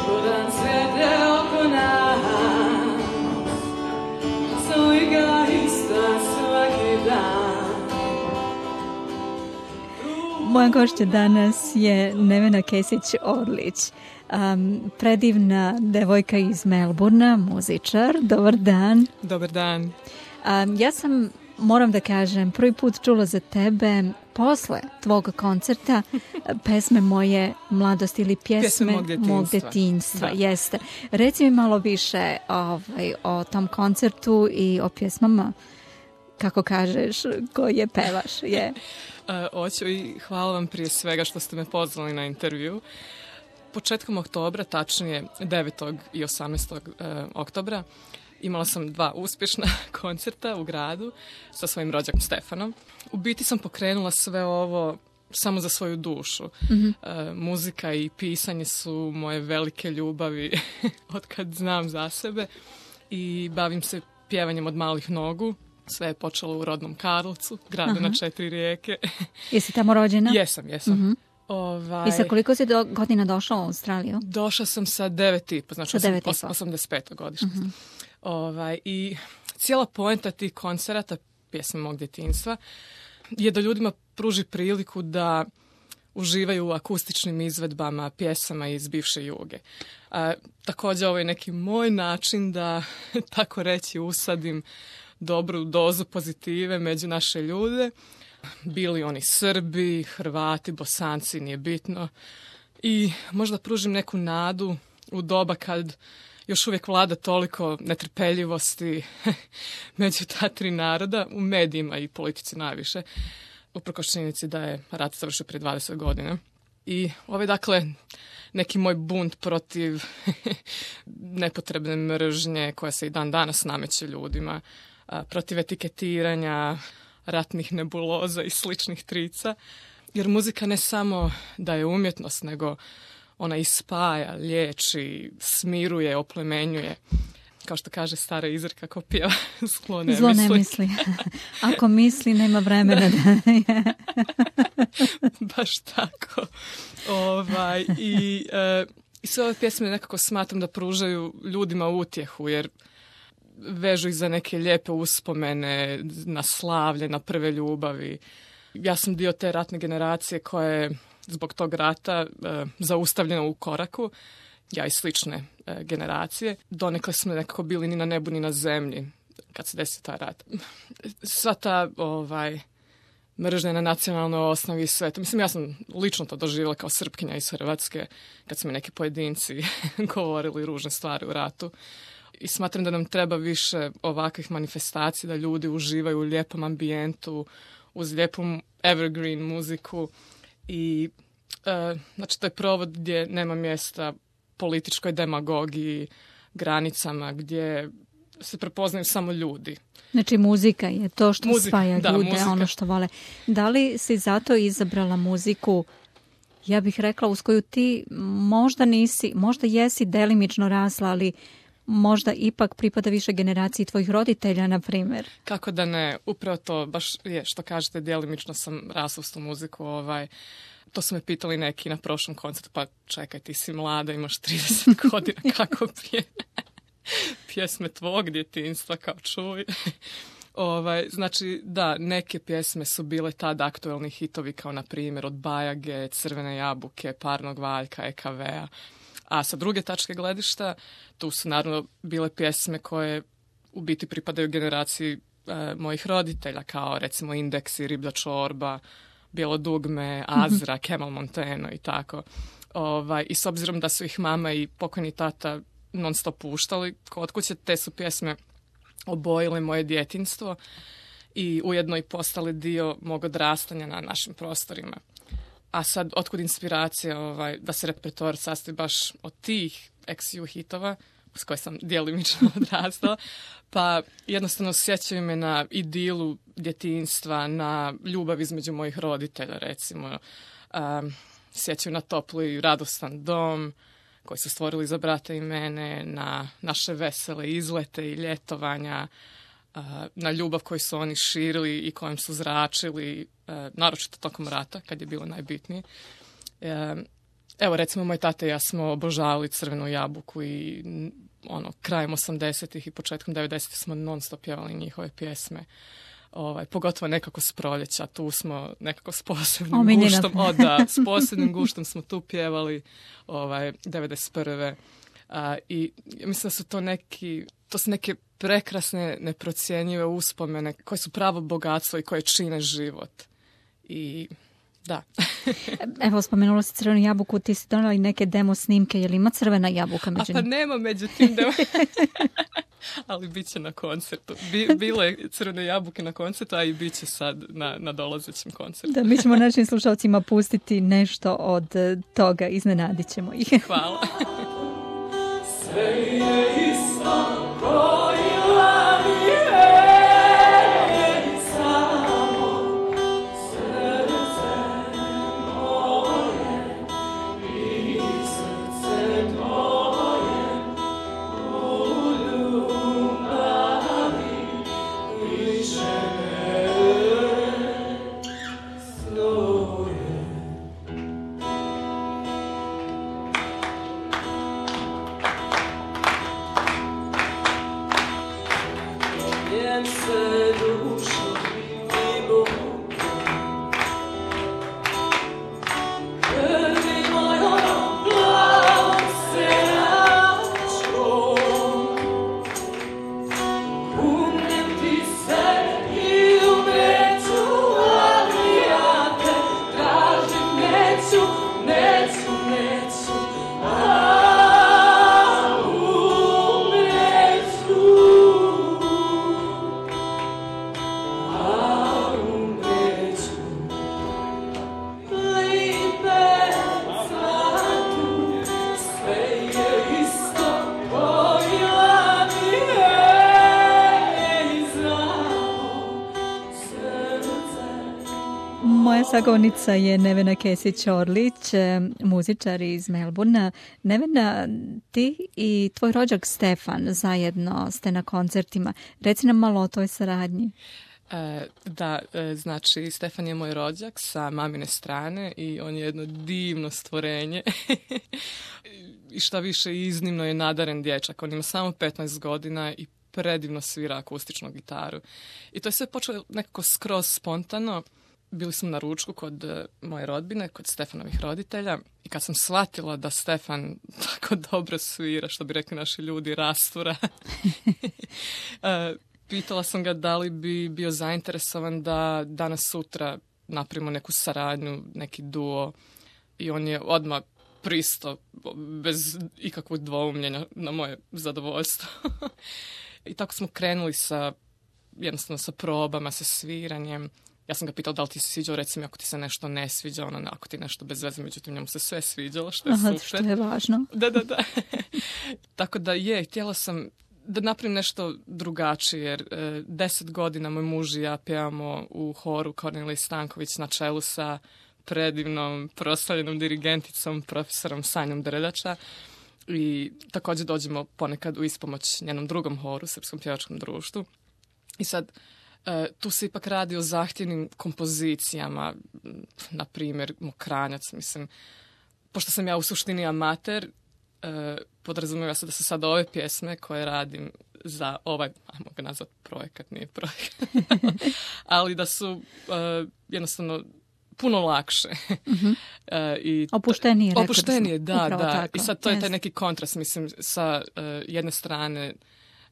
Čudan svijet je oko nas, slika ista svaki dan. Moja gošća danas je Nevena Kesić-Orlić, predivna devojka iz Melbourna, muzičar. Dobar dan. Dobar dan. Ja sam, moram da kažem, prvi put čula za tebe posle tvog koncerta pesme moje mladosti ili pjesme mog detinjstva. Jeste. Reci mi malo više o tom koncertu i o pjesmama, kako kažeš, koje pevaš. Je. Hoću i hvala vam prije svega što ste me pozvali na intervju. Početkom oktobra, tačnije 9. i 18. oktobra, imala sam 2 uspješna koncerta u gradu sa svojim rođakom Stefanom. U biti sam pokrenula sve ovo samo za svoju dušu. Mm-hmm. Muzika i pisanje su moje velike ljubavi od kad znam za sebe i bavim se pjevanjem od malih nogu. Sve je počelo u rodnom Karlovcu, gradu na 4 rijeke. Jesi tamo rođena? Jesam. Mm-hmm. I sa koliko si godina došla u Australiju? Došla sam sa 9,5, znači 85. godište. Mm-hmm. I cijela poenta tih koncerata, pjesme mog djetinjstva, je da ljudima pruži priliku da uživaju u akustičnim izvedbama pjesama iz bivše Juge. Također ovo je neki moj način da, tako reći, usadim dobru dozu pozitive među naše ljude. Bili oni Srbi, Hrvati, Bosanci, nije bitno. I možda pružim neku nadu u doba kad još uvijek vlada toliko netrpeljivosti među ta 3 naroda, u medijima i politici najviše, uprkos činjenici da je rat završio prije 20 godina. I ovo je dakle neki moj bunt protiv nepotrebne mržnje koja se i dan danas nameće ljudima, protiv etiketiranja, ratnih nebuloza i sličnih trica, jer muzika ne samo da je umjetnost, nego ona ispaja, liječi, smiruje, oplemenjuje. Kao što kaže stara izreka, ko pjeva zlo ne misli. Ako misli, nema vremena da je. Baš tako. I sve ove pjesme nekako smatram da pružaju ljudima utjehu, jer vežu ih za neke lijepe uspomene, na slavlje, na prve ljubavi. Ja sam dio te ratne generacije koja je zbog tog rata zaustavljena u koraku. Ja i slične generacije. Donekle smo nekako bili ni na nebu ni na zemlji kad se desio taj rat. Sva ta mržnja na nacionalnoj osnovi i sve to. Mislim, ja sam lično to doživjela kao Srpkinja iz Hrvatske kad su mi neki pojedinci govorili ružne stvari u ratu. I smatram da nam treba više ovakvih manifestacija, da ljudi uživaju u lijepom ambijentu, uz lijepu evergreen muziku i znači to je provod gdje nema mjesta političkoj demagogiji, granicama, gdje se prepoznaju samo ljudi. Znači muzika je to što spaja ljude, muzika. Ono što vole. Da li si zato izabrala muziku, ja bih rekla, uz koju ti možda nisi, možda jesi delimično rasla, ali možda ipak pripada više generaciji tvojih roditelja, na primjer? Kako da ne, upravo to baš je što kažete, djelimično sam rasla s tu muziku. To su me pitali neki na prošlom koncertu, pa čekaj, ti si mlada, imaš 30 godina, kako pjesme tvog djetinjstva, kao čuj. Znači, da, neke pjesme su bile tad aktuelni hitovi, kao na primjer od Bajage, Crvene jabuke, Parnog valjka, EKV-a. A sa druge tačke gledišta, tu su naravno bile pjesme koje u biti pripadaju generaciji mojih roditelja, kao recimo Indeksi, Riblja čorba, Bijelo dugme, Azra, Kemal Monteno i tako. I s obzirom da su ih mama i pokojni tata non stop puštali kod kuće, te su pjesme obojile moje djetinjstvo i ujedno i postale dio mog odrastanja na našim prostorima. A sad, otkud inspiracija da se repertoar sastoji baš od tih ex-ju hitova, s koje sam djelimično odrastala, pa jednostavno sjećaju me na idilu djetinjstva, na ljubav između mojih roditelja, recimo. Sjećaju na topli i radostan dom koji su stvorili za brata i mene, na naše vesele izlete i ljetovanja, na ljubav koju su oni širili i kojom su zračili, naročito tokom rata, kad je bilo najbitnije. Evo, recimo, moj tata i ja smo obožavali Crvenu jabuku i krajem 80-ih i početkom 90-ih smo non stop pjevali njihove pjesme. Pogotovo nekako s proljeća, tu smo nekako s posebnim guštom. S posebnim guštom smo tu pjevali 91. I mislim da su to su neke prekrasne, neprocjenjive uspomene koje su pravo bogatstvo i koje čine život. I da. Evo, spomenula si Crvenu jabuku, ti si donala i neke demo snimke, je li ima Crvena jabuka među njima? Pa nema među tim demo. Ali bit će na koncertu. Bilo je Crvene jabuke na koncertu, a i bit će sad na dolazećem koncertu. Da, mi ćemo našim slušalcima pustiti nešto od toga, iznenadit ćemo ih. Hvala. Sve je isto kojila mi je. Sagovornica je Nevena Kesić-Orlić, muzičar iz Melbourna. Nevena, ti i tvoj rođak Stefan zajedno ste na koncertima. Reci nam malo o toj saradnji. Znači Stefan je moj rođak sa mamine strane i on je jedno divno stvorenje. I šta više, iznimno je nadaren dječak. On ima samo 15 godina i predivno svira akustičnu gitaru. I to je sve počelo nekako skroz spontano. Bili smo na ručku kod moje rodbine, kod Stefanovih roditelja i kad sam shvatila da Stefan tako dobro svira, što bi rekli naši ljudi, rastura, pitala sam ga da li bi bio zainteresovan da danas sutra napravimo neku saradnju, neki duo, i on je odmah pristao bez ikakvog dvoumljenja na moje zadovoljstvo. I tako smo krenuli jednostavno sa probama, sa sviranjem. Ja sam ga pitala da li ti se sviđao, recimo ako ti se nešto ne sviđa, ako ti nešto bez veze, međutim njemu se sve sviđalo, što je super. Što je važno. Da. Tako da htjela sam da napravim nešto drugačije, jer 10 godina moj muž i ja pjevamo u horu Kornelije Stanković na čelu sa predivnom proslavljenom dirigenticom, profesorom Sanjom Drljača. I također dođemo ponekad u ispomoć njenom drugom horu, Srpskom pjevačkom društvu. I sad, tu se ipak radi o zahtjevnim kompozicijama, na primjer Mokranjac, mislim. Pošto sam ja u suštini amater, podrazumijeva se da su sad ove pjesme koje radim za ovaj, ajmo ga nazvat projekat, nije projekat, ali da su jednostavno puno lakše. Mm-hmm. Opuštenije, da. Tako. I sad to je taj neki kontrast, mislim, sa jedne strane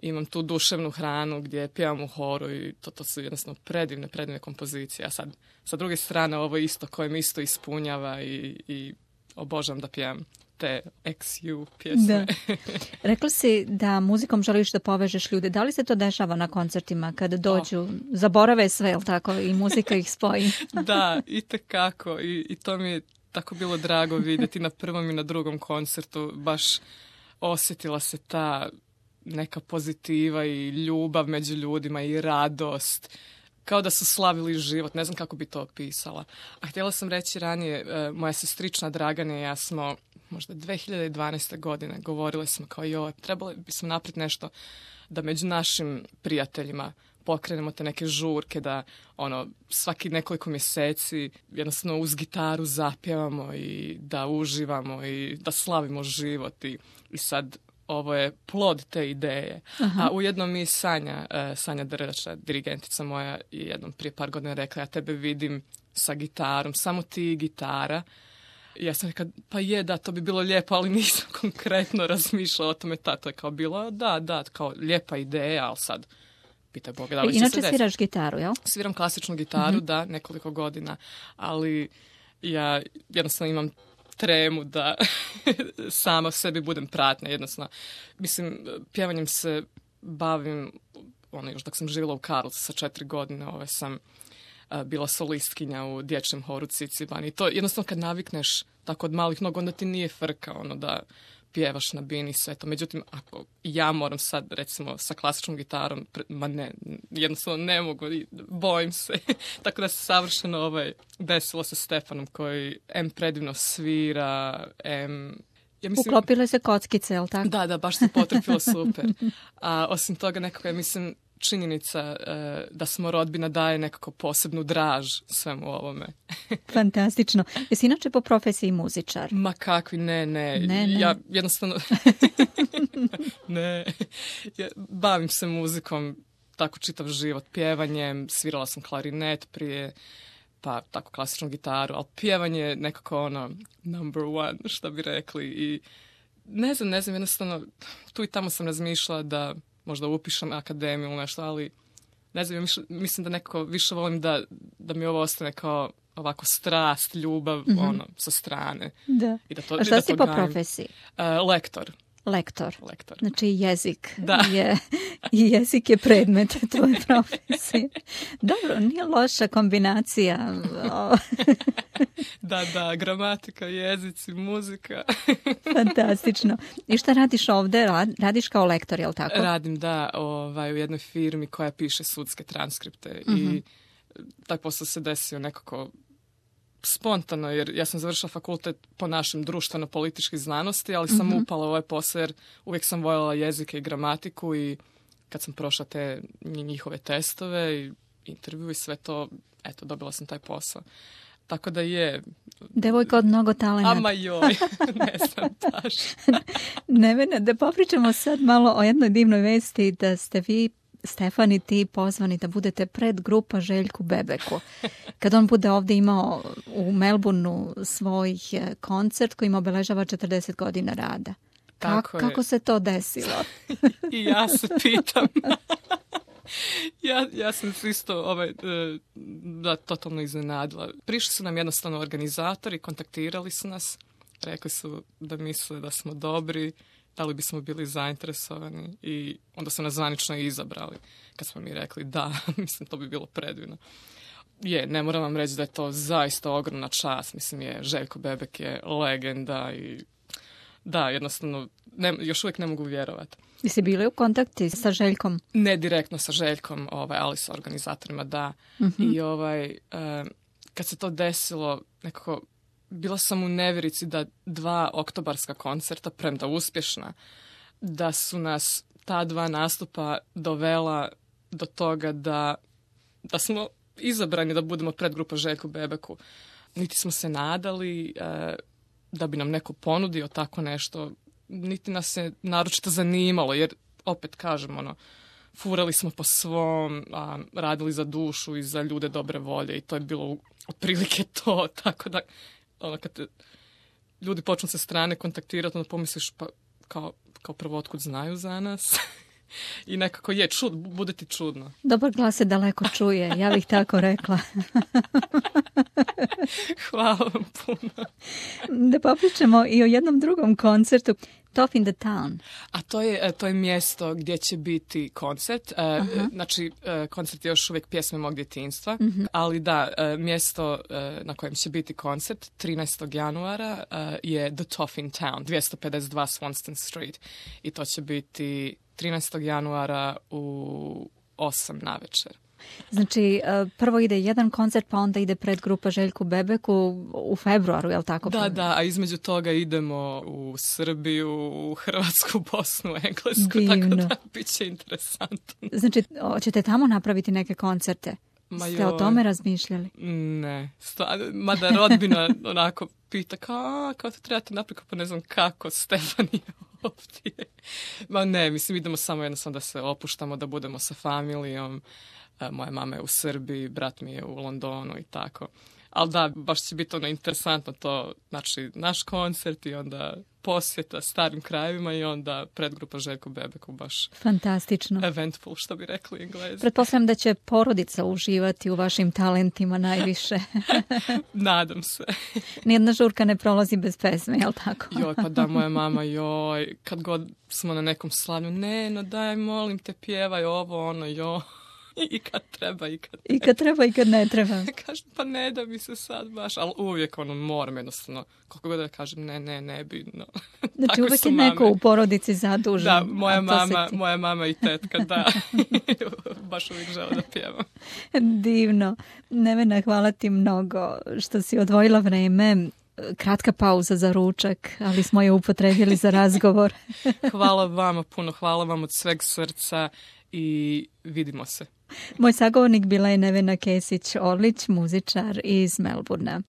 imam tu duševnu hranu gdje pjevam u horu i to su jednostavno predivne kompozicije. A sad, sa druge strane, ovo isto koje mi isto ispunjava i obožavam da pjevam te XU pjesme. Da. Rekla si da muzikom želiš da povežeš ljude. Da li se to dešava na koncertima kada dođu, zaborave sve, jel tako, i muzika ih spoji? Da, itekako. I to mi je tako bilo drago vidjeti na prvom i na drugom koncertu. Baš osjetila se ta neka pozitiva i ljubav među ljudima i radost. Kao da su slavili život, ne znam kako bi to opisala. A htjela sam reći ranije, moja sestrična Dragana i ja smo možda 2012. godine govorile smo kao trebali bismo napraviti nešto da među našim prijateljima pokrenemo te neke žurke, da svaki nekoliko mjeseci jednostavno uz gitaru zapjevamo i da uživamo i da slavimo život i sad ovo je plod te ideje. Aha. A ujedno mi Sanja Drrača, dirigentica moja, jednom prije par godina rekla, ja tebe vidim sa gitarom, samo ti i gitara. I ja sam rekla, pa da, to bi bilo lijepo, ali nisam konkretno razmišljala o tome. To je kao bilo, da, kao lijepa ideja, ali sad pitaj Boga da li će se desiti. Inače sviraš gitaru, jel? Sviram klasičnu gitaru, da, nekoliko godina, ali ja jednostavno imam tremu da sama sebi budem pratnja, jednostavno. Mislim, pjevanjem se bavim, još dok sam živjela u Karlovcu sa 4 godine, sam bila solistkinja u dječjem horu Ciciban. I to jednostavno kad navikneš tako od malih nogu, onda ti nije frka da pjevaš na bini i sve to. Međutim, ako ja moram sad, recimo, sa klasičnom gitarom, jednostavno ne mogu, bojim se. Tako da se savršeno desilo sa Stefanom koji predivno svira, ja mislim, uklopile se kockice, je li tako? Da, baš se potrefilo super. A osim toga nekako ja mislim činjenica da smo rodbina daje nekako posebnu draž svemu ovome. Fantastično. Jesi inače po profesiji muzičar? Ma kakvi, ne. Ja jednostavno ne. Ja bavim se muzikom tako čitav život, pjevanjem, svirala sam klarinet prije, pa tako klasičnu gitaru, ali pjevanje je nekako number one, što bi rekli. I ne znam, jednostavno tu i tamo sam razmišljala da možda upišem akademiju ili nešto, ali ne znam, mislim da nekako više volim da mi ovo ostane kao ovako strast, ljubav, sa strane. Da. I da to, a šta si po profesiji? Lektor. Lektor. Znači jezik jezik je predmet tvoje profesije. Dobro, nije loša kombinacija. Da, gramatika, jezici, muzika. Fantastično. I šta radiš ovdje? Radiš kao lektor, je li tako? Radim, da, u jednoj firmi koja piše sudske transkripte i taj posao se desio nekako spontano, jer ja sam završila fakultet po našem društveno-političkih znanosti, ali sam upala u ovaj posao jer uvijek sam voljela jezike i gramatiku i kad sam prošla te njihove testove i intervju i sve to, dobila sam taj posao. Tako da je... Devojka od mnogo talenata. Ama joj, ne znam baš. Nevena, da popričamo sad malo o jednoj divnoj vesti da ste vi, Stefan i ti, pozvani da budete pred grupa Željku Bebeku. Kad on bude ovdje imao u Melbourneu svoj koncert koji im obeležava 40 godina rada. Kako se to desilo? I ja se pitam. Ja sam se isto totalno iznenadila. Prišli su nam jednostavno organizatori, kontaktirali su nas, rekli su da misle da smo dobri, da li bismo bili zainteresovani i onda su nas zvanično izabrali. Kad smo mi rekli da, mislim, to bi bilo predivno. Ne moram vam reći da je to zaista ogromna čast. Mislim, Željko Bebek je legenda i da, jednostavno, još uvijek ne mogu vjerovati. Jesi bili u kontakti sa Željkom? Ne direktno sa Željkom, ali sa organizatorima, da. I kad se to desilo, nekako, bila sam u nevjerici da 2 oktobarska koncerta, premda uspješna, da su nas ta 2 nastupa dovela do toga da smo izabrani da budemo predgrupa Željku Bebeku. Niti smo se nadali da bi nam neko ponudio tako nešto, niti nas se naročito zanimalo, jer opet kažem, furali smo po svom, radili za dušu i za ljude dobre volje i to je bilo otprilike to, tako da kad te ljudi počnu sa strane kontaktirati, onda pomisliš pa kao prvo otkud znaju za nas. I nekako bude ti čudno. Dobar glas se daleko čuje, ja bih tako rekla. Hvala vam puno. Da popričamo i o jednom drugom koncertu. Tough in the Town. A to je mjesto gdje će biti koncert. Znači, koncert je još uvijek pjesme mog djetinjstva, ali da, mjesto na kojem će biti koncert 13. januara je The Tough in Town, 252 Swanston Street. I to će biti 13. januara u 8 navečer. Znači, prvo ide jedan koncert, pa onda ide predgrupa Željku Bebeku u februaru, je li tako? Da, a između toga idemo u Srbiju, u Hrvatsku, Bosnu, Englesku, Divno. Tako da bit će interesantno. Znači, ćete tamo napraviti neke koncerte? Ste o tome razmišljali? Ne, mada rodbina onako pita kao to trebate napraviti, pa ne znam kako, Stefan je ovdje. Ma ne, mislim, idemo samo jednostavno da se opuštamo, da budemo sa familijom. Moja mama je u Srbiji, brat mi je u Londonu i tako. Ali da, baš će biti interesantno to, znači naš koncert i onda posjeta starim krajevima i onda predgrupa Željko Bebeku, baš fantastično. Eventful, što bi rekli Englezi. Pretpostavljam da će porodica uživati u vašim talentima najviše. Nadam se. Nijedna žurka ne prolazi bez pesme, jel tako? Joj, pa da, moja mama, kad god smo na nekom slavlju, no daj, molim te, pjevaj ovo, ono, I kad treba, i kad ne. I kad treba, i kad ne treba. Kažem, pa ne da mi se sad baš, ali uvijek moram jednostavno, koliko god da kažem, ne bi, no. Znači uvijek je neko u porodici zadužen. Da, moja mama i tetka, da. Baš uvijek žele da pjevam. Divno. Nevena, hvala ti mnogo što si odvojila vreme. Kratka pauza za ručak, ali smo je upotrebili za razgovor. Hvala vama puno, hvala vam od sveg srca i vidimo se. Moj sagovornik bila je Nevena Kesić-Orlić, muzičar iz Melbournea.